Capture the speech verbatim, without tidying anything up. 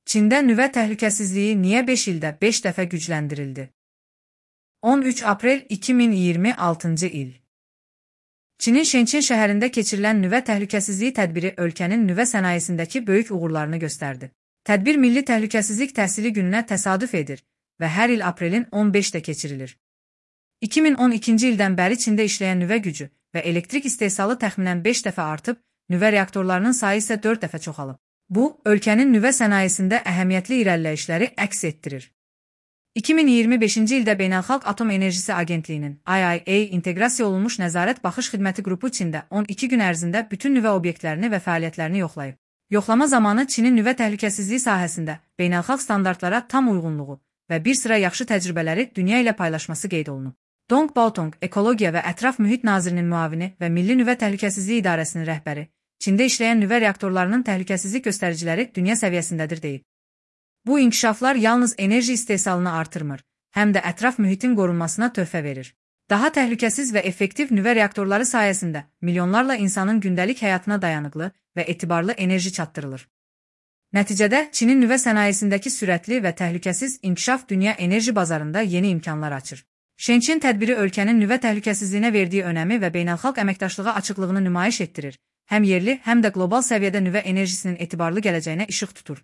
Çində nüvə təhlükəsizliyi niyə beş ildə beş dəfə gücləndirildi? on üç aprel iki min iyirmi altıncı il. Çinin Şençin şəhərində keçirilən nüvə təhlükəsizliyi tədbiri ölkənin nüvə sənayesindəki böyük uğurlarını göstərdi. Tədbir Milli Təhlükəsizlik Təhsili gününə təsadüf edir və hər il aprelin on beşində keçirilir. iki min on ikinci ildən bəri Çində işləyən nüvə gücü və elektrik istehsalı təxminən beş dəfə artıb, nüvə reaktorlarının sayı isə dörd dəfə çoxalıb. Bu, ölkənin nüvə sənayesində əhəmiyyətli irəliləyişləri əks etdirir. iki min iyirmi beşinci ildə Beynəlxalq Atom Enerjisi Agentliyinin I A E A inteqrasiya olunmuş nəzarət baxış xidməti qrupu Çində on iki gün ərzində bütün nüvə obyektlərini və fəaliyyətlərini yoxlayıb. Yoxlama zamanı Çinin nüvə təhlükəsizliyi sahəsində beynəlxalq standartlara tam uyğunluğu və bir sıra yaxşı təcrübələri dünya ilə paylaşması qeyd olunub. Dong Baotong, Ekologiya və Ətraf Mühit Nazirinin müavini və Milli Nüvə Təhlükəsizliyi İdarəsinin rəhbəri, Çində işləyən nüvə reaktorlarının təhlükəsizlik göstəriciləri dünya səviyyəsindədir deyib. Bu inkişaflar yalnız enerji istehsalını artırmır, həm də ətraf mühitin qorunmasına töhfə verir. Daha təhlükəsiz və effektiv nüvə reaktorları sayəsində milyonlarla insanın gündəlik həyatına dayanıqlı və etibarlı enerji çatdırılır. Nəticədə Çinin nüvə sənayesindəki sürətli və təhlükəsiz inkişaf dünya enerji bazarında yeni imkanlar açır. Şençin tədbiri ölkənin nüvə təhlükəsizliyinə verdiyi önəmi və beynəlxalq əməkdaşlığa açıqlığını nümayiş etdirir, həm yerli, həm də qlobal səviyyədə nüvə enerjisinin etibarlı gələcəyinə işıq tutur.